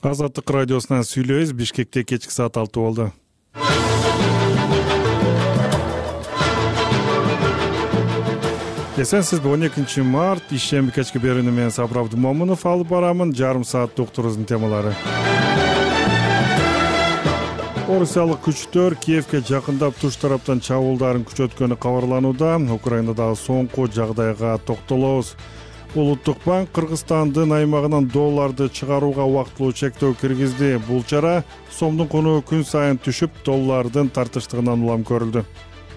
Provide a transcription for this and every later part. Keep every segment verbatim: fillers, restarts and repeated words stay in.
Азаттык радиосунан сүйлөйбүз. Бишкекте кечки саат алты болду. Эсенсизби? он экинчи март ишемби кечки берүүнү мен Сабыр Абдымомунов алып барамын. Жарым саат уктуруубуздун темалары. Орусиялык күчтөр Киевге жакындап туш тараптан чабуулдарын күчөткөнү кабарланууда. Украинадагы соңку жагдайга токтолобуз. Улуттук банк Кыргызстандын аймагынан долларды чыгарууга убактылуу чектөө киргизди. Бул чара сомдун куну күн сайын түшүп, доллардын тартыштыгынан улам көрүлдү.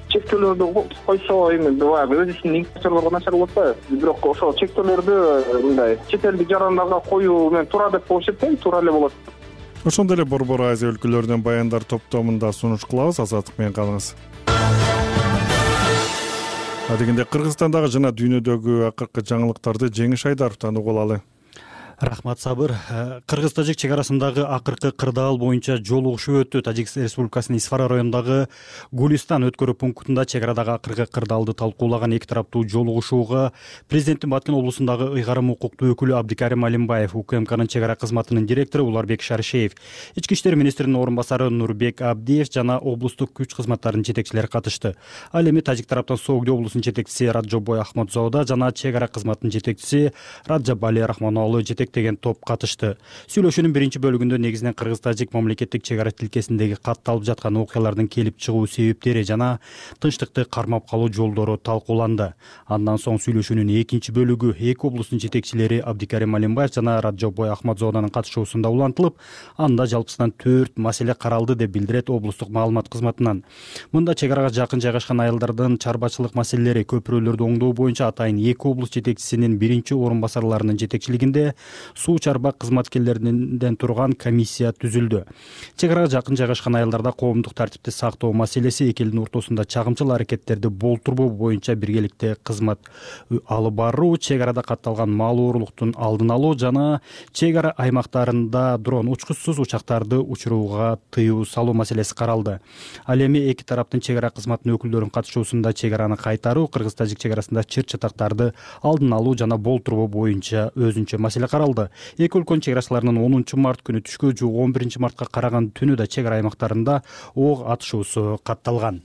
Чектөөлөрдү койсо эми баягы өз ишин инвесторлорго начар болот да. Бирок ошол чектөөлөрдү мындай чет элдик жарандарга коюу менен туура деп болуп эсептейм, туура эле болот. Ошондой эле Борбор Азия өлкөлөрүнөн баяндар топтомунда сунуш кылабыз. Азаттык менен калыңыз. Адегенде Кыргызстандагы жана дүйнөдөгү акыркы жаңылыктарды Жеңиш Айдаровдон угуп алалы. Рахмат, Сабыр. Кыргыз-Тажик чек арасындагы акыркы кырдаал боюнча жолугушуу өттү. Тажикстан Республикасынын Исфара районундагы Гулистан өткөрүү пунктунда чек арадагы акыркы кырдаалды талкуулаган эки тараптуу жолугушууга президенттин Баткен облусундагы ыйгарым укуктуу өкүлү Абдикарим Алимбаев, УКМКнын чек ара кызматынын директору Уларбек Шаршеев, Ички иштер министринин орун басары Нурбек Абдиев жана облустук күч кызматтарынын жетекчилери катышты. Ал эми Тажик тараптан Соогде облусунун жетекчиси Раджобой Ахмадзода жана чек ара кызматынын жетекчиси Раджабали Рахмоноглу деген топ катышты. Сүйлөшүүнүн биринчи бөлүгүндө негизинен Кыргыз-Тажик мамлекеттик чек ара тилкесиндеги катталып жаткан окуялардын келип чыгуу себептери жана тынчтыкты кармап калуу жолдору талкууланды. Андан соң сүйлөшүүнүн экинчи бөлүгү эки облустун жетекчилери Абдикарим Алимбаев жана Раджобой Ахмадзоданын катышуусунда улантылып, анда жалпысынан төрт маселе каралды деп билдирет облустук маалымат кызматынан. Мында чек арага жакын жайгашкан айылдардын чарбачылык маселелери, көпүрөлөрдү оңдоо боюнча атайын эки облус жетекчисинин биринчи орун басарларынын жетекчилигинде суу чарба кызматкерлеринен турган комиссия түзүлдү. Чек арага жакын жайгашкан айылдарда коомдук тартипти сактоо маселеси, эки элдин ортосунда чагымчыл аракеттерди болтурбоо боюнча биргеликте кызмат алып баруу, чек арада катталган мал оорулуктун алдын алуу жана чек ара аймактарында дрон учкучсуз учактарды учурууга тыюу салуу маселеси каралды. Ал эми эки тараптын чек ара кызматынын өкүлдөрүнүн катышуусунда чек араны кайтаруу, Кыргыз-Тажик чек арасында чыр чатактарды алдын алуу жана болтурбоо боюнча өзүнчө маселе каралды. Эки өлкөнүн чек арачыларынын онунчу март күнү түшкө жуук он биринчи мартка караган түнү да чек ара аймактарында ок атышуусу катталган.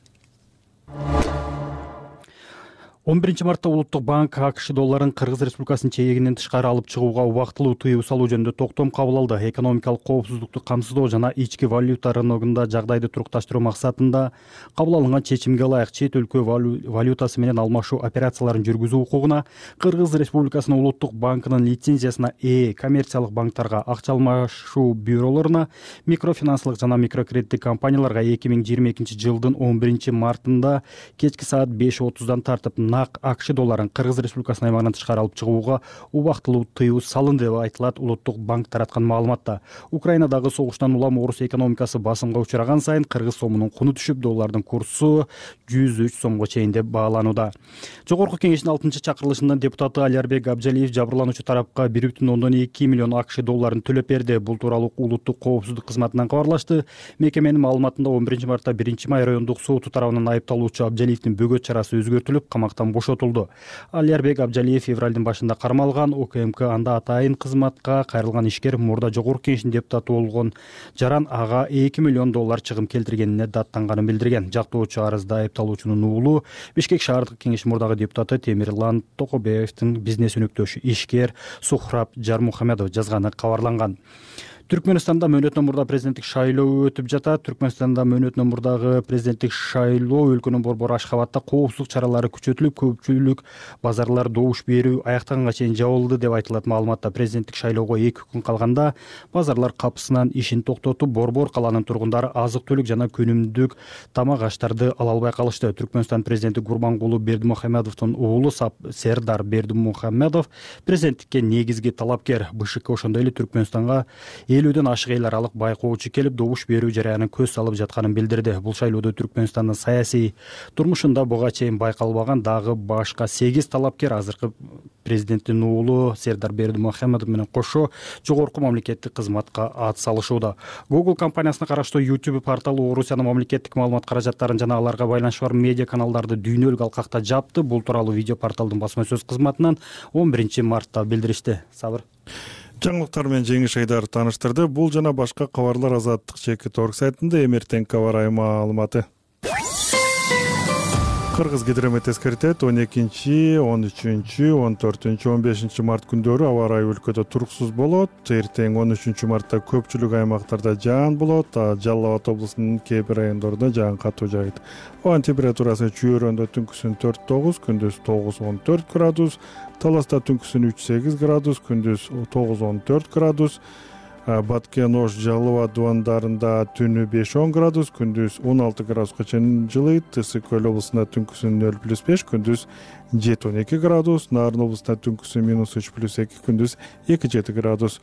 он биринчи мартта Улуттук банк АКШ долларын Кыргыз Республикасынын чегинен тышкары алып чыгууга убактылуу тыюу салуу жөнүндө токтом кабыл алды. Экономикалык коопсуздукту камсыздоо жана ички валюта рыногунда жагдайды турукташтыруу максатында кабыл алынган чечимге ылайык чет өлкө валютасы менен алмашуу операцияларын жүргүзүү укугуна Кыргыз Республикасынын Улуттук банкынын лицензиясына ээ коммерциялык банктарга, акча алмашуу бюролоруна, микрофинансылык жана микрокредиттик компанияларга эки миң жыйырма экинчи жылдын он биринчи мартында кечки саат беш отуздан тартып АКШ долларын Кыргыз Республикасынын аймагынан тышкары алып чыгууга убактылуу тыюу салынды деп айтылат Улуттук банк тараткан маалыматта. Украинадагы согуштан улам Орус экономикасы басымга учураган сайын кыргыз сомунун куну түшүп, доллардын курсу жүз үч сомго чейин деп бааланууда. Жогорку кеңештин алтынчы чакырылышынын депутаты Алиарбек Абжалиев жабырлануучу тарапка бир бүтүн ондон эки миллион АКШ долларын төлөп берди. Бул тууралуу Улуттук коопсуздук кызматынан кабарлашты. Мекеменин маалыматында он биринчи мартта биринчи май райондук соту тарабынан айыпталуучу Абжалиевдин бөгөт чарасы өзгөртүлүп, камактан бошотулду. Алиарбек Абжалиев февралдын башында кармалган. УКМК анда атайын кызматка кайрылган ишкер мурда жогорку кеңештин депутаты болгон Жаран ага эки миллион доллар чыгым келтиргенине даттанганын билдирген. Жактоочу арызда айыпталуучунун уулу Бишкек шаардык кеңеш мурдагы депутаты Темирлан Токобеевдин бизнес өнөктөшү ишкер Сухраб Жармухамедов жазганы кабарланган. Түркмөнстанда мөөнөтүнөн мурда президенттик шайлоо өтүп жатат. Түркмөнстанда мөөнөтүнөн мурдагы президенттик шайлоо өлкөнүн борбору Ашхабадта коопсуздук чаралары күчөтүлүп, көпчүлүк базарлар добуш берүү аяктаганга чейин жабылды деп айтылат маалыматта. Президенттик шайлоого эки күн калганда базарлар капысынан ишин токтотуп, борбор каланын тургундары азык-түлүк жана күнүмдүк тамак аштарды ала албай калышты. Түркмөнстан президенти Гурбангулу Бердимухамедовдун уулу Сердар Бердимухамедов президенттикке негизги талапкер. БШК ошондой эле Түркмөнстанга элүүдөн ашык эл аралык байкоочу келип, добуш берүү жараянын көз салып жатканын билдирди. Бул шайлоодо Түркмөнстандын саясий турмушунда буга чейин байкалбаган дагы башка сегиз талапкер азыркы президенттин уулу Сердар Бердимухамедов менен кошо жогорку мамлекеттик кызматка ат салышууда. Google компаниясына караштуу YouTube порталы Орусиянын мамлекеттик маалымат каражаттарын жана аларга байланышы бар медиа каналдарды дүйнөлүк алкакта жапты. Бул тууралуу видео порталдын басма сөз кызматынан он биринчи мартта билдиришти. Сабыр. Жаңылыктар менен Жеңиш Айдаров тааныштырды. Бул жана башка кабарлар Азаттык чекит орг сайтында эмертең кабар маалыматы. Кыргыз гидромет эскертет он экинчи, он үчүнчү, он төртүнчү, он бешинчи март күндөрү аба ырайы өлкөдө туруксуз болот. Эртең он үчүнчү мартта көпчүлүк аймактарда жаан болот. Жалал Абад облусунун кээ бир райондорунда жаан катуу жаагыт. Абанын температурасы Чүйөрөндө түнкүсүн төрт тогуз, күндүз тогуз он төрт градус, Таласта түнкүсүн үч сегиз градус, күндүз тогуз он төрт градус, Баткен, Ош, Жалал Абад дубандарында түнү беш он градус, күндүз он алты градуска чейин жылыйт. Ысык Көл облусунда түнкүсүн нөл плюс беш, күндүз жети он эки градус, Нарын облусунда түнкүсүн минус үч плюс эки, күндүз эки жети градус.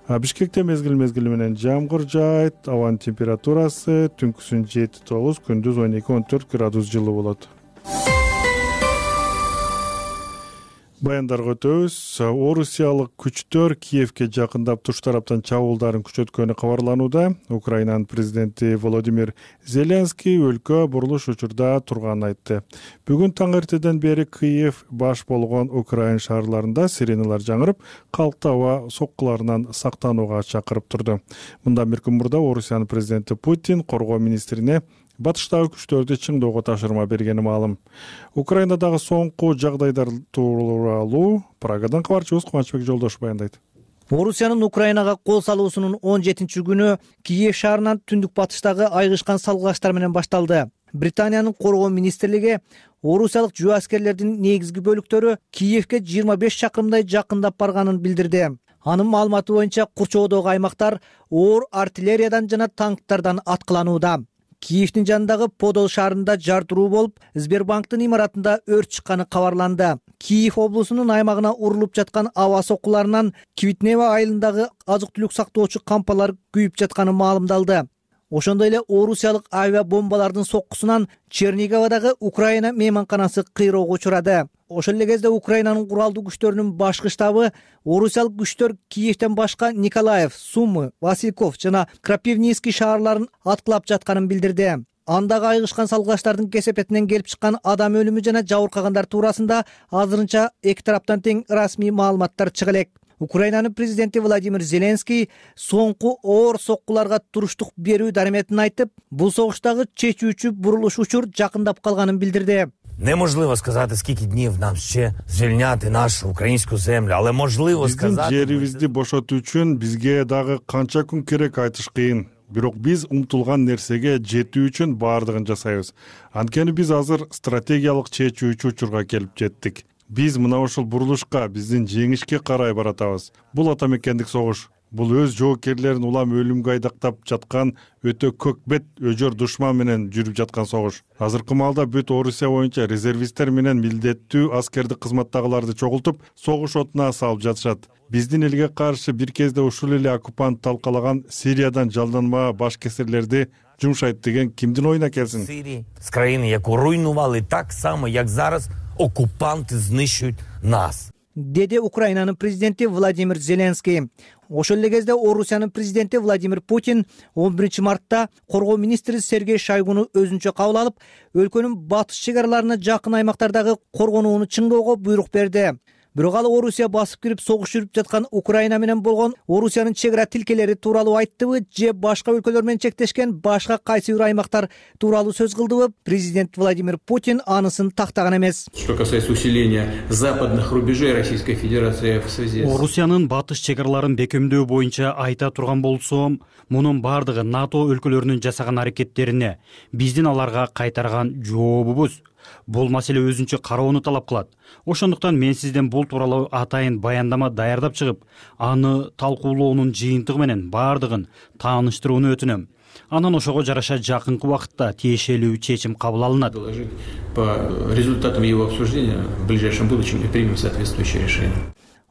Бишкекте мезгил мезгили менен жамгыр жаайт. Абанын температурасы түнкүсүн жети тогуз, күндүз он эки он төрт градус жылы болот. Баяндарга өтөбүз. Орусиялык күчтөр Киевке жакындап туш тараптан чабуулдарын күчөткөнү кабарланууда. Украинанын президенти Володимир Зеленский өлкө бурулуш учурда турганын айтты. Бүгүн таң эртеден бери Киев баш болгон Украин шаарларында сиреналар жаңырып, калкты аба соккуларынан сактанууга чакырып турду. Мындан бир күн мурда Орусиянын президенти Путин коргоо министрине батыштагы күчтөрдү чыңдоого тапшырма бергени маалым. Украинадагы соңку жагдайлар тууралуу Прагадан кабарчыбыз Кубанычбек Жолдош баяндайт. Орусиянын Украинага кол салуусунун он жетинчи күнү Киев шаарынан түндүк батыштагы айгышкан салгылаштар менен башталды. Британиянын коргоо министрлиги орусиялык жүк аскерлердин негизги бөлүктөрү Киевке жыйырма беш чакырымдай жакындап барганын билдирди. Анын маалыматы боюнча курчоодогу аймактар оор артиллериядан жана танктардан аткыланууда. Киевдин жанындагы Подол шаарында жартыруу болуп, Сбербанктын имаратында өрт чыкканы кабарланды. Киев облусунун аймагына урулуп жаткан аба соккуларынан Квитнева айылындагы азык-түлүк сактоочу кампалар күйүп жатканы маалымдалды. Ошондой эле орусиялык авиабомбалардын соккусунан Черниговдагы Украина мейманканасы кыйроого учурады. Ошол эле кезде Украинанын куралдуу күчтөрүнүн башкы штабы орусиялык күчтөр Киевден башка Николаев, Сумы, Васильков жана Крапивницкий шаарларын аткылап жатканын билдирди. Андагы айгышкан салгылаштардын кесепетинен келип чыккан адам өлүмү жана жабыркагандар туурасында азырынча эки тараптан тең расмий маалыматтар чыга элек. Украинанын президенти Владимир Зеленский соңку оор соккуларга туруштук берүү дареметин айтып, бул согуштагы чечүүчү бурулуш учур жакындап калганын билдирди. Неможливо сказати, скільки днів нам ще звільняти нашу українську землю, але можливо сказати... Биздин жерибизди бошотуу үчүн бизге дагы канча күн керек айтыш кыйын. Бирок биз умтулган нерсеге жетүү үчүн баардыгын жасайбыз. Анткени биз азыр стратегиялык чечүүчү учурга келип жеттик. Биз мына ошол бурулушка, биздин жеңишке карай баратабыз. Бул ата мекендик согуш. Бул өз жоокерлерин улам өлүмгө айдактап жаткан өтө көкбет өжөр душман менен жүрүп жаткан согуш. Азыркы маалда бүт Орусия боюнча резервисттер менен милдеттүү аскердик кызматтагыларды чогултуп, согуш отуна салып жатышат. Биздин элге каршы бир кезде ушул эле оккупант талкалаган Сириядан жалданма баш кесирлерди жумшайт деген кимдин оюна келсин? Сирії, з країни, яку руйнували так само, як зараз оккупанти знищують нас. Деди Украинанын президенти Владимир Зеленский. Ошол эле кезде Орусиянын президенти Владимир Путин он биринчи мартта коргоо министри Сергей Шойгуну өзүнчө кабыл алып, өлкөнүн батыш чек араларына жакын аймактардагы коргонууну чыңдоого буйрук берди. Бирок ал Орусия басып кирип согуш жүрүп жаткан Украина менен болгон Орусиянын чек ара тилкелери тууралуу айттыбы же башка өлкөлөр менен чектешкен башка кайсы бир аймактар тууралуу сөз кылдыбы, президент Владимир Путин анысын тактаган эмес. Что касается усиления западных рубежей Российской Федерации в связи с... Орусиянын батыш чек араларын бекемдөө боюнча айта турган болсом, мунун бардыгы НАТО өлкөлөрүнүн жасаган аракеттерине, биздин аларга кайтарган жообубуз. Бул маселе өзүнчө кароону талап кылат. Ошондуктан мен сизден бул тууралуу атайын баяндама даярдап чыгып, аны талкуулоонун жыйынтыгы менен бардыгын тааныштырууну өтүнөм. Анан ошого жараша жакынкы убакытта тиешелүү чечим кабыл алынат. По результатам его обсуждения в ближайшем будущем мы примем соответствующее решение.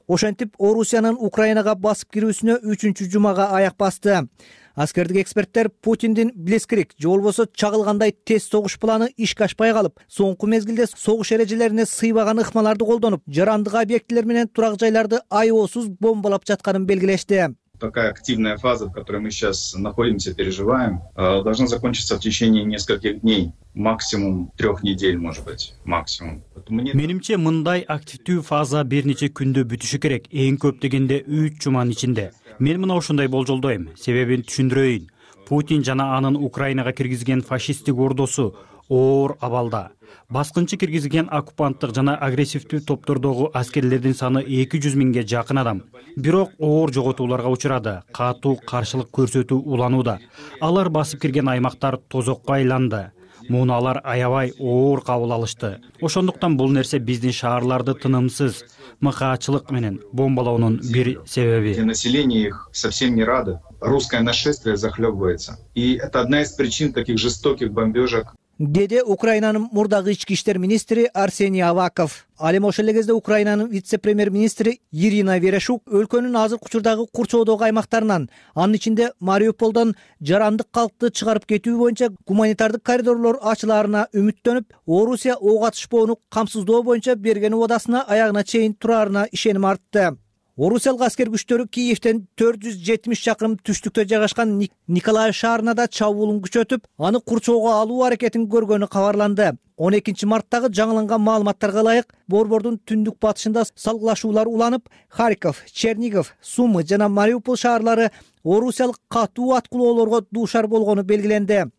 Ошентип Орусиянын Украинага басып кирүүсүнө үчүнчү жумага аяк басты. Аскердик эксперттер Путиндин блескирик же болбосо чагылгандай тез согуш планы ишке ашпай калып, соңку мезгилде согуш эрежелерине сыйбаган ыкмаларды колдонуп, жарандык объектилер менен турак жайларды аеосуз бомбалап жатканын белгилешти. такая активная фаза, в которой мы сейчас находимся, переживаем, должна закончиться в течение нескольких дней, максимум трех недель, может быть, максимум. Менимче, мындай активдүү фаза бир нече күндө бүтүшү керек, эң көп дегенде үч жуманын ичинде. Мен мына ушундай болжолдойм. Себебин түшүндүрөйүн. Путин жана анын Украинага киргизген фашисттик ордосу оор абалда. Баскынчы киргизген оккупанттык жана агрессивдүү топтордогу аскерлердин саны эки жүз миңге жакын адам. Бирок оор жоготууларга учурады, катуу каршылык көрсөтүү уланууда. Алар басып кирген аймактар тозокко айланды. Муну алар аябай оор кабыл алышты. Ошондуктан бул нерсе биздин шаарларды тынымсыз мыкаачылык менен бомбалоонун бир себеби. Население их совсем не радо. Русское нашествие захлебывается. И это одна из причин таких жестоких бомбежек. Деди Украинанын мурдагы ички иштер министри Арсений Аваков. Ал эми ошол эле кезде Украинанын вице-премьер-министри Ирина Верешук өлкөнүн азыркы учурдагы курчоодогу аймактарынан, анын ичинде Мариуполдон жарандык калкты чыгарып кетүү боюнча гуманитардык коридорлор ачылаарына үмүттөнүп, Орусия ого атышпоону камсыздоо боюнча берген убадасына аягына чейин тураарына ишеним артты. Орусиялык аскер күчтөрү Киевден төрт жүз жетимиш чакырым түштүктө жайгашкан Николаев шаарына да чабуулун күчөтүп, аны курчоого алуу аракетин көргөнү кабарланды. он экинчи марттагы жаңыланган маалыматтарга ылайык, борбордун түндүк батышында салгылашуулар уланып, Харьков, Чернигов, Сумы жана Мариупол шаарлары орусиялык катуу аткылоолорго дуушар болгону белгиленди.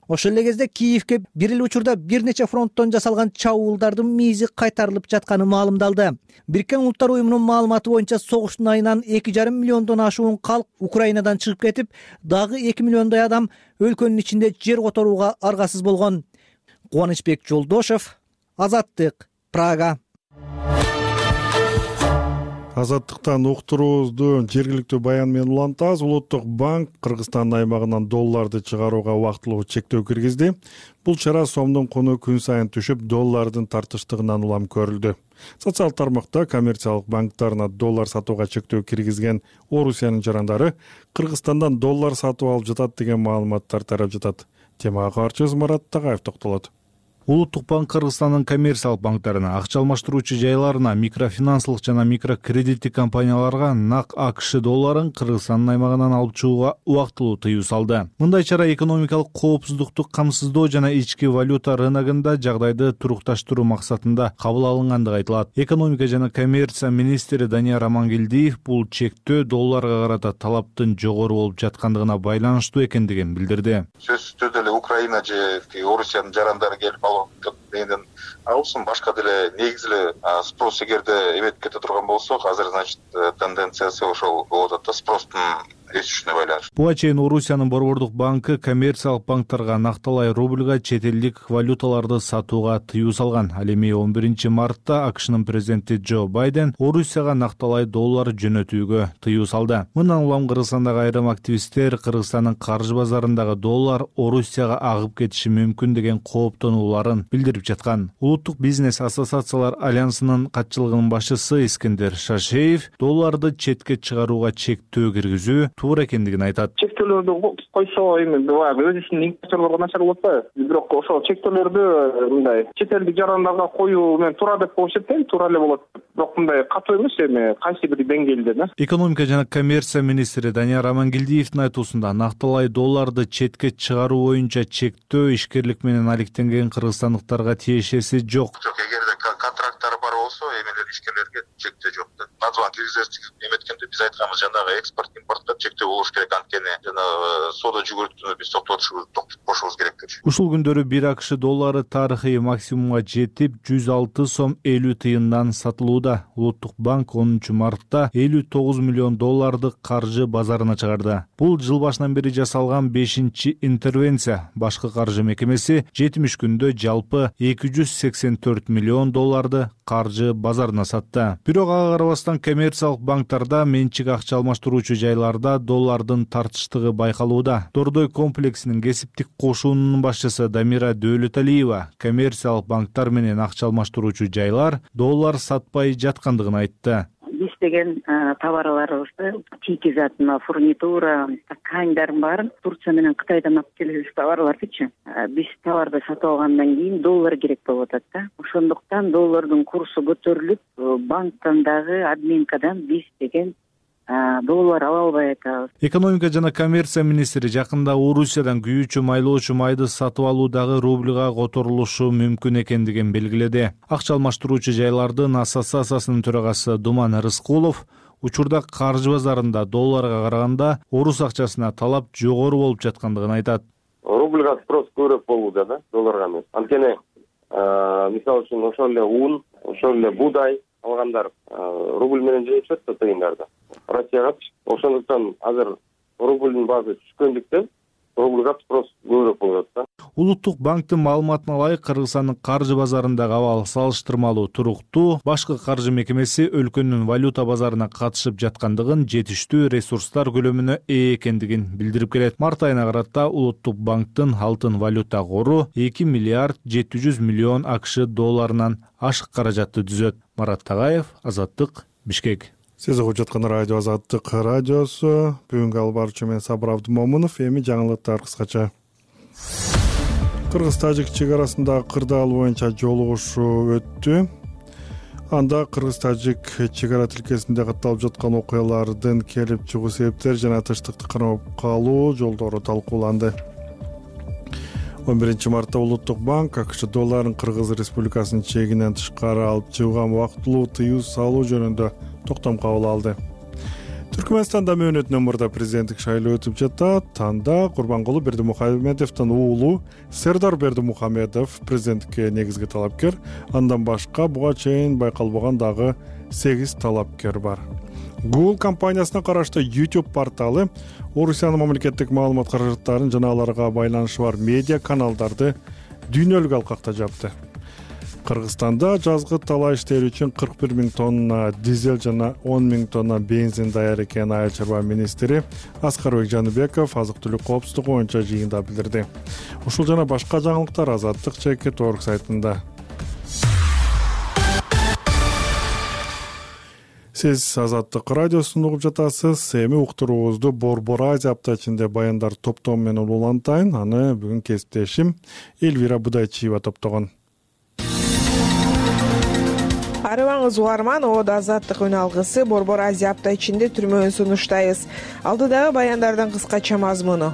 Ошол эле кезде Киевге бир эле учурда бир нече фронттон жасалган чабуулдардын миизи кайтарылып жатканы маалымдалды. Бириккен Улуттар уюмунун маалыматы боюнча согуштун айынан эки жарым миллиондон ашуун калк Украинадан чыгып кетип, дагы эки миллиондой адам өлкөнүн ичинде жер которууга аргасыз болгон. Кубанычбек Жолдошев, Азаттык, Прага. Азаттыктан уктуруубузду жергиликтүү баян менен улантабыз. Улуттук банк Кыргызстандын аймагынан долларды чыгарууга убактылуу чектөө киргизди. Бул чара сомдун куну күн сайын түшүп, доллардын тартыштыгынан улам көрүлдү. Социалдык тармакта коммерциялык банктарына доллар сатууга чектөө киргизген Орусиянын жарандары Кыргызстандан доллар сатып алып жатат деген маалыматтар тарап жатат. Темага каарчыбыз Марат Тагаев токтолот. Улуттук банк Кыргызстандын коммерциялык банктарына, акча алмаштыруучу жайларына, микрофинансылык жана микрокредиттик компанияларга нак АКШ долларын Кыргызстандын аймагынан алып чыгууга убактылуу тыюу салды. Мындай чара экономикалык коопсуздукту камсыздоо жана ички валюта рыногунда жагдайды турукташтыруу максатында кабыл алынгандыгы айтылат. Экономика жана коммерция министри Данияр Амангелдиев бул чектөө долларга карата талаптын жогору болуп жаткандыгына байланыштуу экендигин билдирди. Сөзсүз деле Украина же Орусиянын жарандары келип дегенден алсын, башка деле негизи эле спрос эгерде эметип кете турган болсо, азыр значит тенденциясы ошол болуп атат да, спростун өсүшүнө байланыштуу. Буга чейин Орусиянын борбордук банкы коммерциялык банктарга накталай рубльга чет элдик валюталарды сатууга тыюу салган. Ал эми он биринчи мартта АКШнын президенти Джо Байден Орусияга накталай доллар жөнөтүүгө тыюу салды. Мындан улам Кыргызстандагы айрым активисттер Кыргызстандын каржы базарындагы доллар Орусияга агып кетиши мүмкүн деген кооптонууларын билдирип жаткан. Улуттук бизнес ассоциациялар альянсынын катчылыгынын башчысы Искендер Шашеев долларды четке чыгарууга чектөө киргизүү туура экендигин айтат. Чектөөлөрдү койсо эми баягы өз ишин инвесторлорго начар болот да. Бирок ошол чектөөлөрдү мындай чет элдик жарандарга коюу менен туура деп коюшат да, туура эле болот. Бирок мындай катуу эмес, эми кайсы бир деңгээлде да. Экономика жана коммерция министри Данияр Амангелдиевдин айтуусунда накталай долларды четке чыгаруу боюнча чектөө ишкерлик менен алектенген кыргызстандыктарга тиешеси жок. Жок, эгерде контракттары бар болсо, эмелер ишкерлерге чектөө жок да. Назван киргизерчилик эметкенде биз айтканбыз, жанагы экспорт импортко чектөө болуш керек, анткени жана соода жүгүртүүнү биз токтотуп кошубуз керек деп. Ушул күндөрү бир АКШ доллары тарыхый максимумга жетип, жүз алты сом элүү тыйындан сатылууда. Улуттук банк онунчу мартта элүү тогуз миллион долларды каржы базарына чыгарды. Бул жыл башынан бери жасалган бешинчи интервенция. Башкы каржы мекемеси жетимиш күндө жалпы эки жүз сексен төрт миллион долларды каржы базарына сатты. Бирок ага карабастан коммерциялык банктарда, менчик акча алмаштыруучу жайларда доллардын тартыштыгы байкалууда. Дордой комплексинин кесиптик кошуунун башчысы Дамира Дөөлөталиева коммерциялык банктар менен акча алмаштыруучу жайлар доллар сатпай жаткандыгын айтты. Биз деген товарларыбызды тики затына, фурнитура, тканьдардын баарын Турция менен Кытайдан алып келебиз товарлардычы. Биз товарды сатып алгандан кийин доллар керек болуп атат да. Ошондуктан доллардын курсу көтөрүлүп, банктан дагы админкадан биз деген доллар ала албай атабыз. Экономика жана коммерция министри жакында Орусиядан күйүүчү майлоочу майды сатып алуудагы рубльга которулушу мүмкүн экендигин белгиледи. Акча алмаштыруучу жайлардын ассоциациясынын төрагасы Думан Рыскулов учурда каржы базарында долларга караганда орус акчасына талап жогору болуп жаткандыгын айтат. Рубльга спрос көбүрөөк болууда да, долларга эмес. Анткени мисалы үчүн ошол эле ун, ошол эле буудай алгандар рубль менен жөнөтүшөт да тыйындарда. Россиягачы. Ошондуктан азыр рубльдин баасы түшкөндүктөн рубльга спрос көбүрөөк болуп атат да. Улуттук банктын маалыматына ылайык Кыргызстандын каржы базарындагы абал салыштырмалуу туруктуу. Башкы каржы мекемеси өлкөнүн валюта базарына катышып жаткандыгын, жетиштүү ресурстар көлөмүнө ээ экендигин билдирип келет. Март айына карата Улуттук банктын алтын валюта кору эки миллиард жети жүз миллион АКШ долларынан ашык каражатты түзөт. Марат Тагаев, Азаттык, Бишкек. Сиз угуп жаткан радио Азаттык радиосу. Бүгүнкү албарчы мен Сабыр Абдымомунов. Эми жаңылыктар кыскача. Кыргыз-тажик чек арасындагы кырдаал боюнча жолугушуу өттү. Анда кыргыз-тажик чек ара тилкесинде катталып жаткан окуялардын келип чыгуу себептери жана тынчтыкты кармап калуу жолдору талкууланды. он биринчи мартта Улуттук банк АКШ долларын Кыргыз Республикасынын чегинен тышкары алып чыгууга убактылуу тыюу салуу жөнүндө токтом кабыл алды. Түркмөнстанда мөөнөтүнөн мурда президенттик шайлоо өтүп жатат. Анда Курбангулы Бердимухамедовдун уулу Сердар Бердимухамедов президенттикке негизги талапкер. Андан башка буга чейин байкалбаган дагы сегиз талапкер бар. Google компаниясына караштуу YouTube порталы Орусиянын мамлекеттик маалымат каражаттарын жана аларга байланышы бар медиа каналдарды дүйнөлүк алкакта жапты. Кыргызстанда жазгы талаа иштери үчүн кырк бир миң тонна дизель жана он миң тонна бензин даяр экенин Айыл чарба министри Аскарбек Жаныбеков азык-түлүк коопсуздугу боюнча жыйында билдирди. Ушул жана башка жаңылыктар Азаттык чекит орг сайтында. Сиз Азаттык радиосун угуп жатасыз. Эми уктуруубузду Борбор Азия апта ичинде баяндар топтому менен улантайын. Аны бүгүн кесиптешим Эльвира Будайчиева топтогон. Арыбаңыз угарман, Оодо Азаттык үн алгысы Борбор Азия апта ичинде түрмөөн сунуштайбыз. Алдыдагы баяндардын кыскача мазмуну.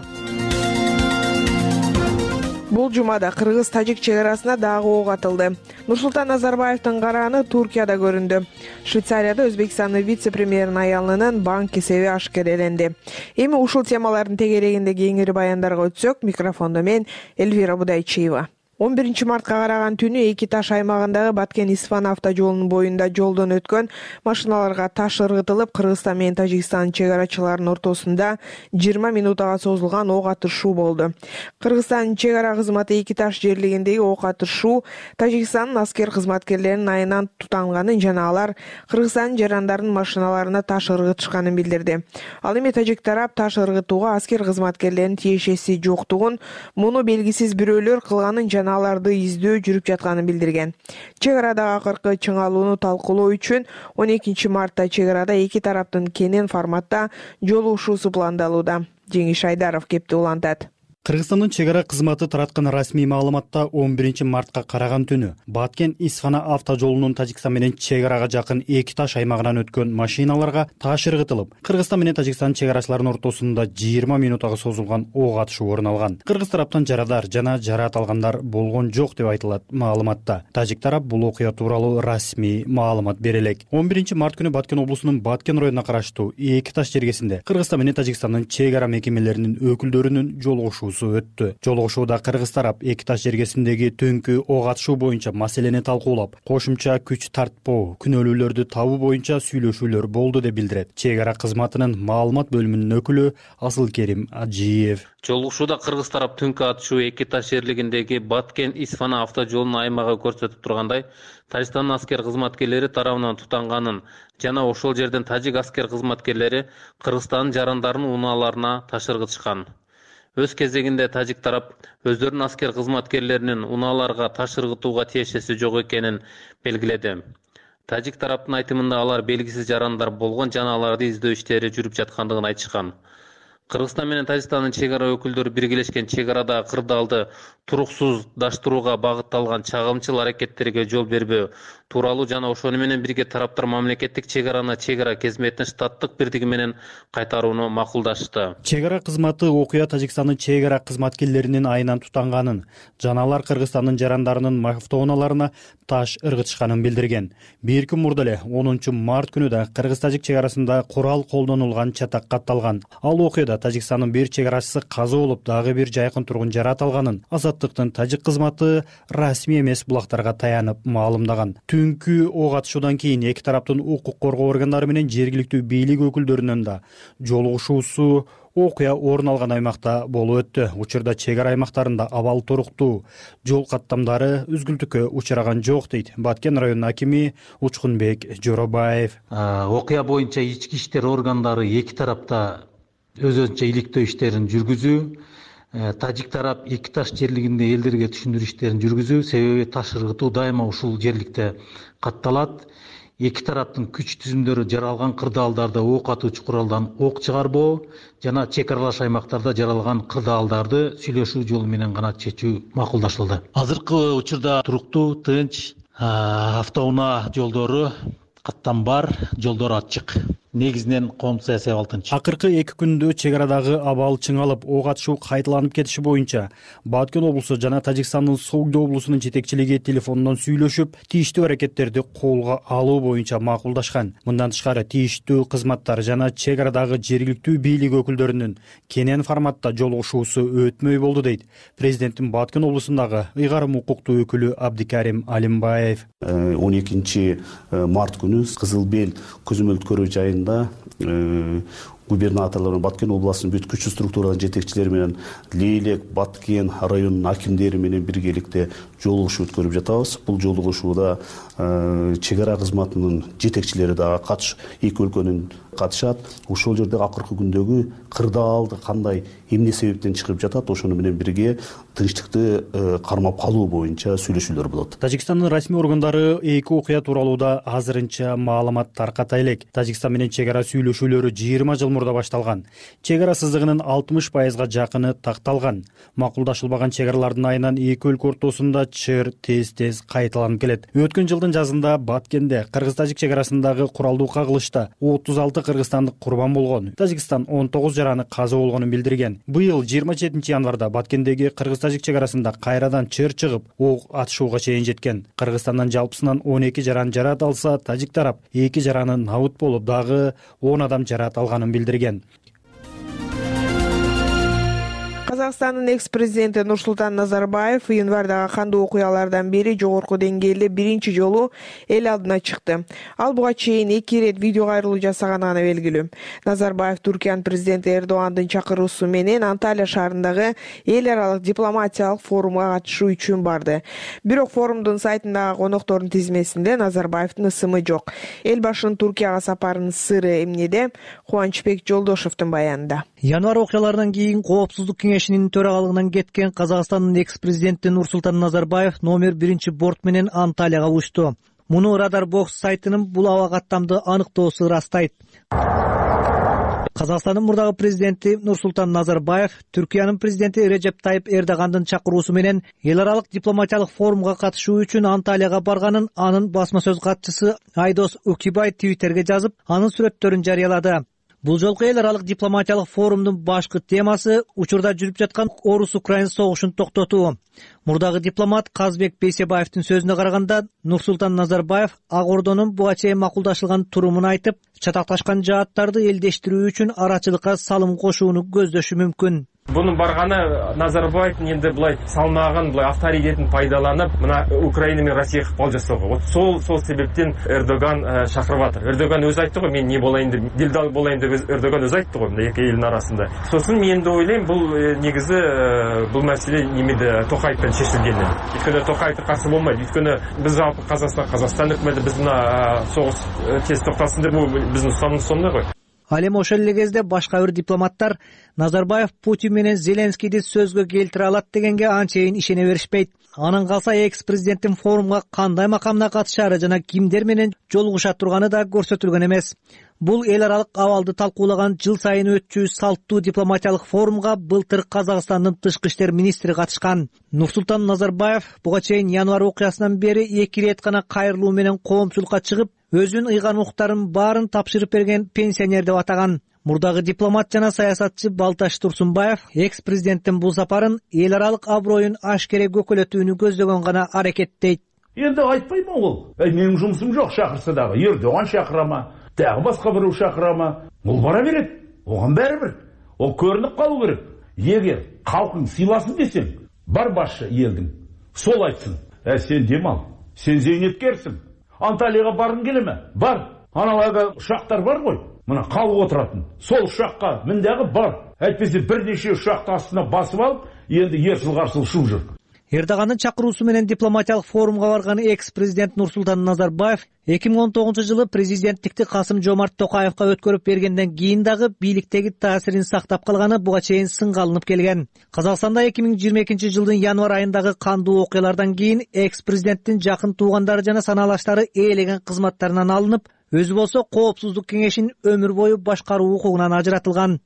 Бул жумада Кыргыз-тажик чек арасына дагы ок атылды. Нурсултан Назарбаевдин карааны Туркияда көрүндү. Швейцарияда Өзбекстандын вице-премьеринин аялынын банк эсеби ашкереленди. Эми ушул темалардын тегерегинде кеңири баяндарга өтсөк, микрофондо мен Эльвира Будайчиева. он биринчи мартка караган түнү Эки Таш аймагындагы Баткен-Исфан автожолунун боюнда жолдон өткөн машиналарга таш ыргытылып, Кыргызстан менен Тажикстан чек арачыларынын ортосунда жыйырма минутага созулган ок атышуу болду. Кыргызстандын чек ара кызматы Эки Таш жерлегиндеги ок атышуу Тажикстандын аскер кызматкерлеринин айынан тутанганын жана алар Кыргызстандын жарандарынын машиналарына таш ыргытышканын билдирди. Ал эми тажик тарап таш ыргытууга аскер кызматкерлеринин тиешеси жоктугун, муну белгисиз бирөөлөр кылганын жана аларды издөө жүрүп жатканын билдирген. Чек арадагы акыркы чыңалууну талкуулоо үчүн он экинчи мартта чек арада эки тараптын кенен форматта жолугушуусу пландалууда. Жеңиш Айдаров кепти улантат. Кыргызстандын чек ара кызматы тараткан расмий маалыматта он биринчи мартка караган түнү Баткен-Исфана автожолунун Тажикстан менен чек арага жакын Эки Таш аймагынан өткөн машиналарга таш ыргытылып, Кыргызстан менен Тажикстан чек арачыларынын ортосунда жыйырма минутага созулган ок атышуу орун алган. Кыргыз тараптан жарадар жана жараат алгандар болгон жок деп айтылат маалыматта. Тажик тарап бул окуя тууралуу расмий маалымат бере элек. он биринчи март күнү Баткен облусунун Баткен районуна караштуу Эки Таш жергесинде Кыргызстан менен Тажикстандын чек ара мекемелеринин өкүлдөрүнүн жолугушуусу өттү. Жолугушууда Кыргыз тарап Эки Таш жергесиндеги түнкү ок атышуу боюнча маселени талкуулап, кошумча күч тартпоо, күнөөлүүлөрдү табуу боюнча сүйлөшүүлөр болду деп билдирет чек ара кызматынын маалымат бөлүмүнүн өкүлү Асылкерим Ажиев. Жолугушууда Кыргыз тарап түнкү атышуу Эки Таш жерлегиндеги Баткен-Исфана автожолунун аймагы көрсөтүп тургандай, Тажикстандын аскер кызматкерлери тарабынан тутанганын жана ошол жерден тажик аскер кызматкерлери Кыргызстандын жарандарынын унааларына таш ыргытышкан. Өз кезегинде тажик тарап өздөрүнүн аскер кызматкерлеринин унааларга таш ыргытууга тиешеси жок экенин белгиледи. Тажик тараптын айтымында алар белгисиз жарандар болгон жана аларды издөө иштери жүрүп жаткандыгын айтышкан. Кыргызстан менен Тажикстандын чек ара өкүлдөрү биргелешкен чек арадагы кырдаалды туруксуздаштырууга багытталган чагымчыл аракеттерге жол бербөө тууралуу жана ошону менен бирге тараптар мамлекеттик чек араны чек ара кызмэтин штаттык бирдиги менен кайтарууну макулдашты. Чек ара кызматы окуя Тажикстандын чек ара кызматкерлеринин айынан тутанганын жана алар Кыргызстандын жарандарынын автоунааларына таш ыргытышканын билдирген. Бир күн мурда эле онунчу март күнү да Кыргыз-Тажик чек арасында курал колдонулган чатак катталган. Ал окуяда Тажикстандын бир чек арачысы каза болуп, дагы бир жайкын тургун жарат алганын Азаттыктын тажик кызматы расмий эмес булактарга таянып маалымдаган. Түнкү ок атышуудан кийин эки тараптын укук коргоо органдары менен жергиликтүү бийлик өкүлдөрүнүн да жолугушуусу окуя орун алган аймакта болуп өттү. Учурда чек ара аймактарында абал туруктуу, жол каттамдары үзгүлтүккө учураган жок дейт Баткен районунун акими Учкунбек Жоробаев. Окуя боюнча ички иштер органдары эки тарапта өз-өзүнчө иликтөө иштерин жүргүзүү, тажик тарап эки таш жерлигинде элдерге түшүндүрүү иштерин жүргүзүү, себеби таш ыргытуу дайыма ушул жерликте катталат. Эки тараптын күч түзүмдөрү жаралган кырдаалдарда ок атуучу куралдан ок чыгарбоо жана чек аралаш аймактарда жаралган кырдаалдарды сүйлөшүү жолу менен гана чечүү макулдашылды. Азыркы учурда туруктуу, тынч, автоунаа жолдору каттам бар, жолдор ачык. Негизинен коомдук саясий абал тынч. Акыркы эки күндө чек арадагы абал чыңалып, ок атышуу кайталанып кетиши боюнча Баткен облусу жана Тажикстандын Согду облусунун жетекчилиги телефондон сүйлөшүп, тийиштүү аракеттерди колго алуу боюнча макулдашкан. Мындан тышкары тийиштүү кызматтар жана чек арадагы жергиликтүү бийлик өкүлдөрүнүн кенен форматта жолугушуусу өтмөй болду дейт президенттин Баткен облусундагы ыйгарым укуктуу өкүлү Абдикарим Алимбаев. он экинчи март күнү Кызыл Бел көзөмөлдүк көрүү жайында губернаторлор, Баткен областынын бүт күчтүү структуранын жетекчилери менен Лейлек, Баткен районунун акимдери менен биргеликте жолугушуу өткөрүп жатабыз. Бул жолугушууда чек ара кызматынын жетекчилери дагы катыш, эки өлкөнүн катышат. Ошол жерде акыркы күндөгү кырдаалды кандай, эмне себептен чыгып жатат, ошону менен бирге тынчтыкты кармап калуу боюнча сүйлөшүүлөр болот. Тажикстандын расмий органдары эки окуя тууралууда азырынча маалымат тарката элек. Тажикстан менен чек ара сүйлөшүүлөрү жыйырма жыл мурда башталган. Чек ара сызыгынын алтымыш пайызга жакыны такталган. Макулдашылбаган чек аралардын айынан эки өлкө ортосунда чыр тез-тез кайталанып келет. Өткөн жылдын жазында Баткенде Кыргыз-Тажик чек арасындагы куралдуу кагылышта отуз алты кыргызстандык курбан болгон. Тажикстан он тогуз жараны каза болгонун билдирген. Быйыл жыйырма жетинчи январда Баткендеги Кыргыз-Тажик чек арасында кайрадан чыр чыгып, ок атышууга чейин жеткен. Кыргызстандан жалпысынан он эки жаран жарат алса, тажик тарап эки жараны набыт болуп, дагы он адам жарат алганын билдирген. Казакстандын экс-президенти Нурсултан Назарбаев январдагы кандуу окуялардан бери жогорку деңгээлде биринчи жолу эл алдына чыкты. Ал буга чейин эки ирет видео кайрылуу жасаганы белгилүү. Назарбаев Туркиянын президенти Эрдогандын чакыруусу менен Анталия шаарындагы эл аралык дипломатиялык форумга катышуу үчүн барды. Бирок форумдун сайтындагы коноктордун тизмесинде Назарбаевдин ысымы жок. Эл башынын Туркияга сапарынын сыры эмнеде? Кубанычбек Жолдошевдун баянында. Январь окуяларынан кийин Коопсуздук кеңешинин төрагалыгынан кеткен Казакстандын экс-президенти Нурсултан Назарбаев номер биринчи борт менен Анталияга учту. Муну Радар Бокс сайтынын бул аба каттамды аныктоосу ырастайт. Казакстандын мурдагы президенти Нурсултан Назарбаев Түркиянын президенти Режеп Тайып Эрдогандын чакыруусу менен эл аралык дипломатиялык форумга катышуу үчүн Анталияга барганын анын басма сөз катчысы Айдос Укибай Твиттерге жазып, анын сүрөттөрүн жарыялады. Бул жолку эл аралык дипломатиялык форумдун башкы темасы учурда жүрүп жаткан орус-украин согушун токтотуу. Мурдагы дипломат Казбек Бейсебаевдин сөзүнө караганда, Нурсултан Назарбаев Ак Ордонун буга чейин макулдашылган турумун айтып, чатакташкан жааттарды элдештирүү үчүн арачылыкка салым кошууну көздөшү мүмкүн. Бунун барганы Назарбаевдин энди былай салмагын, былай авторитетин пайдаланып, мына Украина менен Россияга ыкпал жасоого. Вот сол сол себептен Эрдоган чакырып атыр. Эрдоган өзү айтты го, мен не болайын деп, дилдал болайын деп Эрдоган өзү айтты го, мына эки элдин арасында. Сосын мен да ойлойм, бул негизи бул маселе немеде Токаевден чечилген. Өйткөнү Токаев каршы болмойт. Өйткөнү биз жалпы Казакстан, Казакстан өкмөтү биз мына согуш тез токтасын деп, бул биздин устамдын сонуна го. Ал эми ошол эле кезде башка бир дипломаттар Назарбаев Путин менен Зеленскийди сөзгө келтире алат дегенге анчейин ишене беришпейт. Анан калса экс президенттин форумга кандай макамда катышаары жана кимдер менен жолугуша турганы да көрсөтүлгөн эмес. Бул эл аралык абалды талкуулаган жыл сайын өтчү салттуу дипломатиялык форумга былтыр Казакстандын тышкы иштер министри катышкан. Нурсултан Назарбаев буга чейин январь окуясынан бери эки ирет гана кайрылуу менен коомчулукка чыгып, өзүнүн ыйгарым укуктарын баарын тапшырып берген пенсионер деп атаган. Мурдагы дипломат жана саясатчы Балташ Турсунбаев экс президенттин бул сапарын эл аралык аброюн ашкере көкөлөтүүнү көздөгөн гана аракет дейт. Энди айтпайм ол. Эй, менин жумушум жок, шакырса дагы Эрдоган шакырама, дагы башка бирөө шакырама. Бул бара берет. Оган баары бир. Ол көрүнүп калуу керек. Эгер калкың сыйласын десең, бар башчы элдин. Сол айтсын. Э, сен демал. Сен зейнеткерсиң. Анталияга баргың келеме? Бар. Аналарга ушактар бар ғой. Мына калып отуратын. Сол ушакка мин дагы бар. Айтпесе бир нече ушакты астына басып алып, энди эрсил карсыл ушуп жүр. Эрдогандын чакыруусу менен дипломатиялык форумга барган экс президент Нурсултан Назарбаев эки миң он тогузунчу жылы президенттикти Касым Жомарт Токаевка өткөрүп бергенден кийин дагы бийликтеги таасирин сактап калганы буга чейин сынга алынып келген. Казакстанда эки миң жыйырма экинчи жылдын январь айындагы кандуу окуялардан кийин экс президенттин жакын туугандары жана санаалаштары ээлеген кызматтарынан алынып, өзү болсо Коопсуздук кеңешин өмүр бою башкаруу укугунан ажыратылган.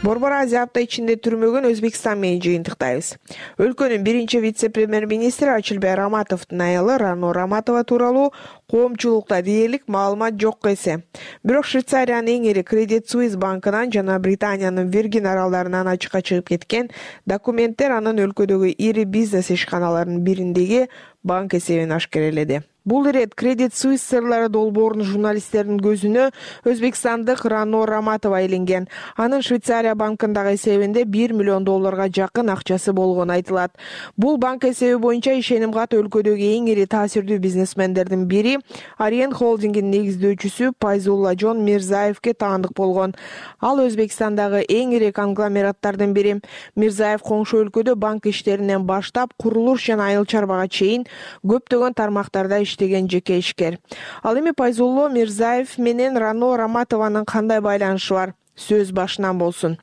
Борбор Азия апта ичинде түрмөгөн Өзбекстан менен жыйынтыктайбыз. Өлкөнүн биринчи вице-премьер-министри Ачылбай Раматовдун аялы Рано Раматова тууралуу коомчулукта дээрлик маалымат жок эсе. Бирок Швейцариянын эң ири Credit Suisse банкынан жана Британиянын Виргин аралдарынан ачыкка чыгып кеткен документтер анын өлкөдөгү ири бизнес ишканаларынын бириндеги банк эсебин ашкереледи. Бул ирет Credit Suisse сырлары долбоорунун журналисттердин көзүнө өзбекстандык Рано Раматова илинген. Анын Швейцария банкындагы эсебинде бир миллион долларга жакын акчасы болгону айтылат. Бул банк эсеби боюнча ишеним кат өлкөдөгү эң ири таасирдүү бизнесмендердин бири Ариен холдингинин негиздөөчүсү Пайзулла Жон Мирзаевке таандык болгон. Ал Өзбекстандагы эң ири конгломераттардын бири. Мирзаев коңшу өлкөдө банк иштеринен баштап курулуш жана айыл чарбага чейин көптөгөн тармактарда иштеген жеке ишкер. Ал эми Пайзулло Мирзаев менен Рано Раматованын кандай байланышы бар? Сөз башынан болсун.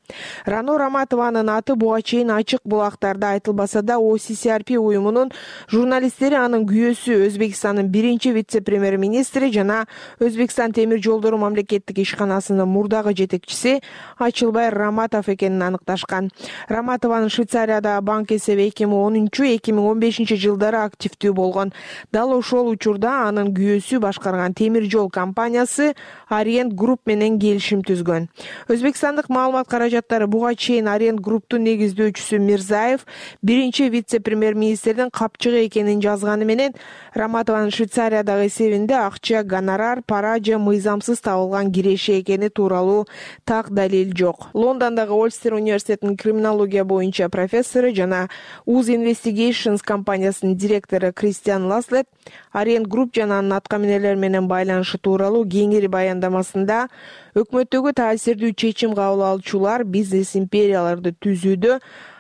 Рано Раматованын аты буга чейин ачык булактарда айтылбаса да, о си си ар пи уюмунун журналисттери анын күйөөсү Өзбекстандын биринчи вице-премьер-министри жана Өзбекстан темир жолдору мамлекеттик ишканасынын мурдагы жетекчиси Ачылбай Раматов экенин аныкташкан. Раматованын Швейцариядагы банк эсеби эки миң онунчу — эки миң он бешинчи жылдары активдүү болгон. Дал ошол учурда анын күйөөсү башкарган темир жол компаниясы Orient Group менен келишим түзгөн. Өзбекстандык маалымат каражаттары буга чейин Orient Group'тун негиздөөчүсү Мирзаев биринчи вице-премьер-министрдин капчыгы экенин жазганы менен Раматованын Швейцариядагы эсебинде акча, гонорар, пара же мыйзамсыз табылган киреше экени тууралуу так далил жок. Лондондогу Ольстер университетинин криминология боюнча профессору жана Uz Investigations компаниясынын директору Кристиан Ласлет Orient Group жана анын аткаминерлер менен байланышы тууралуу кеңири баяндамасында өкмөттөгү таасирдүү чечим кабыл алуучулар бизнес империяларды түзүүдө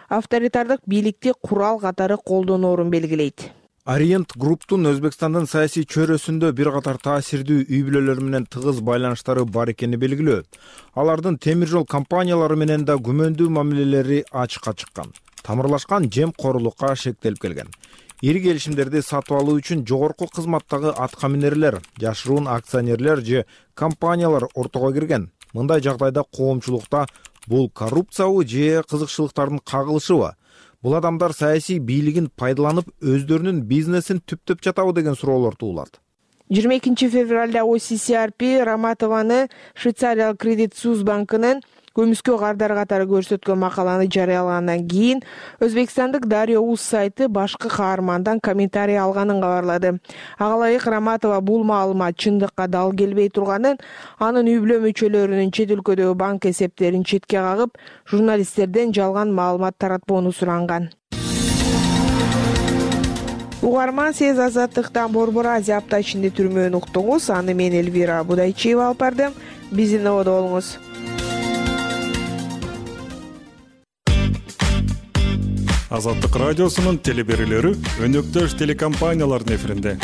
авторитардык бийликти курал катары колдоноорун белгилейт. Orient Group'тун Өзбекстандын саясий чөйрөсүндө бир катар таасирдүү үй бүлөлөр менен тыгыз байланыштары бар экени белгилүү. Алардын темир жол компаниялары менен да күмөндүү мамилелери ачыкка чыккан. Тамырлашкан жемкорлукка шектелип келген. Ири келишимдерди сатып алуу үчүн жогорку кызматтагы аткаминерлер, жашыруун акционерлер же компаниялар ортого кирген. Мындай жагдайда коомчулукта бул коррупциябы же кызыкчылыктардын кагылышыбы? Бул адамдар саясий бийлигин пайдаланып өздөрүнүн бизнесин түптөп жатабы деген суроолор туулат. жыйырма экинчи февралда о си си ар пи Раматованы Швейцариялык Credit Suisse банкынын көмүскө кардары катары көрсөткөн макаланы жарыялагандан кийин Өзбекстандык Дарья Уз сайты башкы каармандан комментарий алганын кабарлады. Ага ылайык Раматова бул маалымат чындыкка дал келбей турганын, анын үй бүлө мүчөлөрүнүн чет өлкөдөгү банк эсептерин четке кагып, журналисттерден жалган маалымат таратпоону суранган. Угарман, сиз Азаттыктан Борбор Азия апта ичинде түрмөөнү уктуңуз. Аны мен Элвира Будайчиева алып бардым. Биздин ободо болуңуз. Азаттык радиосунун телеберүүлөрү өнөктөш телекомпаниялардын эфиринде.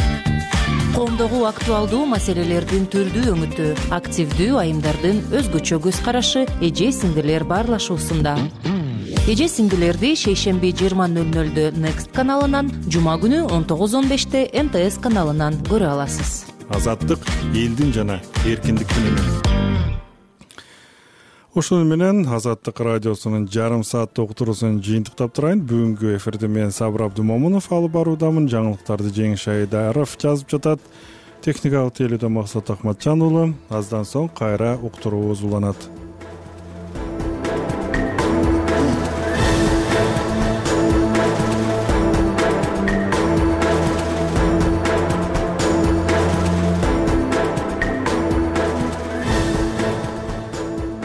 Коомдогу актуалдуу маселелердин түрдүү өңүтү, активдүү айымдардын өзгөчө көз карашы, эже сиңдилер баарлашуусунда. эже сиңдилерди шейшемби жыйырма ноль нолдо Next каналынан, жума күнү он тогуз он беште М Т С каналынан көрө аласыз. Азаттык элдин жана эркиндиктин үнү. Ошол менен Азаттык радиосунун жарым сааттык уктуруусун жыйынтыктап турайын. Бүгүнкү эфирди мен Сабыр Абдымомунов алып баруудамын. Жаңылыктарды Жеңиш Айдаров жазып жатат. Техникалык тейлөөдө Максат Акматжан уулу. Аздан соң кайра уктуруубуз уланат.